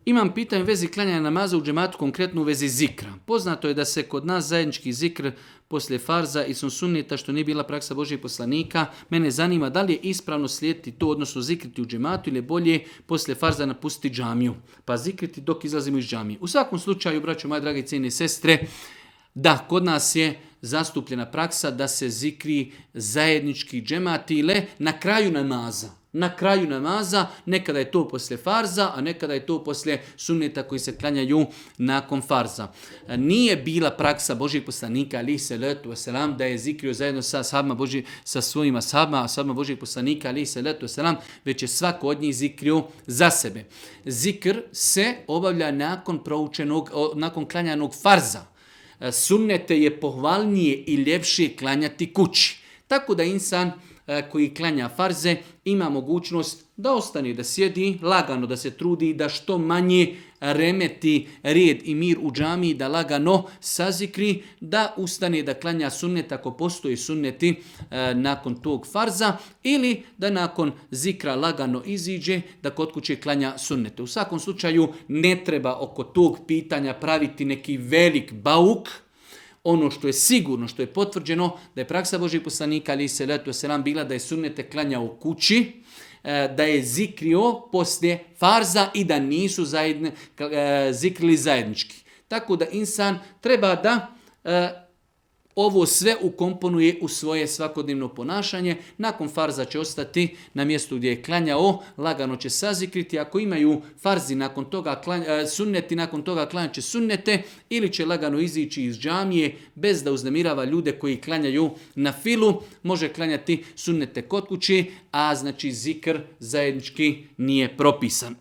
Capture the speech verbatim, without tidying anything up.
Imam pitanje u vezi klanjanja namaza u džematu, konkretno u vezi zikra. Poznato je da se kod nas zajednički zikr poslije farza i sunneta, što nije bila praksa Božijeg poslanika. Mene zanima da li je ispravno slijediti to, odnosno zikriti u džematu, ili je bolje poslije farza napustiti džamiju, pa zikriti dok izlazimo iz džamije. U svakom slučaju, braćo moje drage cijene sestre, da, kod nas je zastupljena praksa da se zikri zajednički džematile na kraju namaza. Na kraju namaza, nekada je to poslije farza, a nekada je to poslije sunneta koji se klanjaju nakon farza. Nije bila praksa Božijeg poslanika, alejhi selatu vesselam, da je zikrio zajedno sa ashabima Božji, sa svojim ashabima, ashabima Božijeg poslanika, alejhi selatu vesselam, već je svako od njih zikrio za sebe. Zikr se obavlja nakon proučenog, nakon klanjanog farza. Sunnete je pohvalnije i ljepše klanjati kući. Tako da insan koji klanja farze ima mogućnost da ostane, da sjedi lagano, da se trudi, da što manje remeti red i mir u džamiji, da lagano sazikri, da ustane da klanja sunnet ako postoji sunneti e, nakon tog farza, ili da nakon zikra lagano iziđe, da kod kuće klanja sunnete. U svakom slučaju ne treba oko tog pitanja praviti neki velik bauk. Ono što je sigurno, što je potvrđeno, da je praksa Božijeg poslanika, alejhi selatu vesselam, bila da je sunnete klanjao u kući, da je zikrio poslije farza i da nisu zajedne, zikrili zajednički. Tako da insan treba da ovo sve ukomponuje u svoje svakodnevno ponašanje. Nakon farza će ostati na mjestu gdje je klanjao, lagano će sazikriti. Ako imaju farzi nakon toga, sunneti nakon toga klanjat će sunnete, ili će lagano izići iz džamije bez da uznemirava ljude koji klanjaju na filu. Može klanjati sunnete kod kuće, a znači zikr zajednički nije propisan.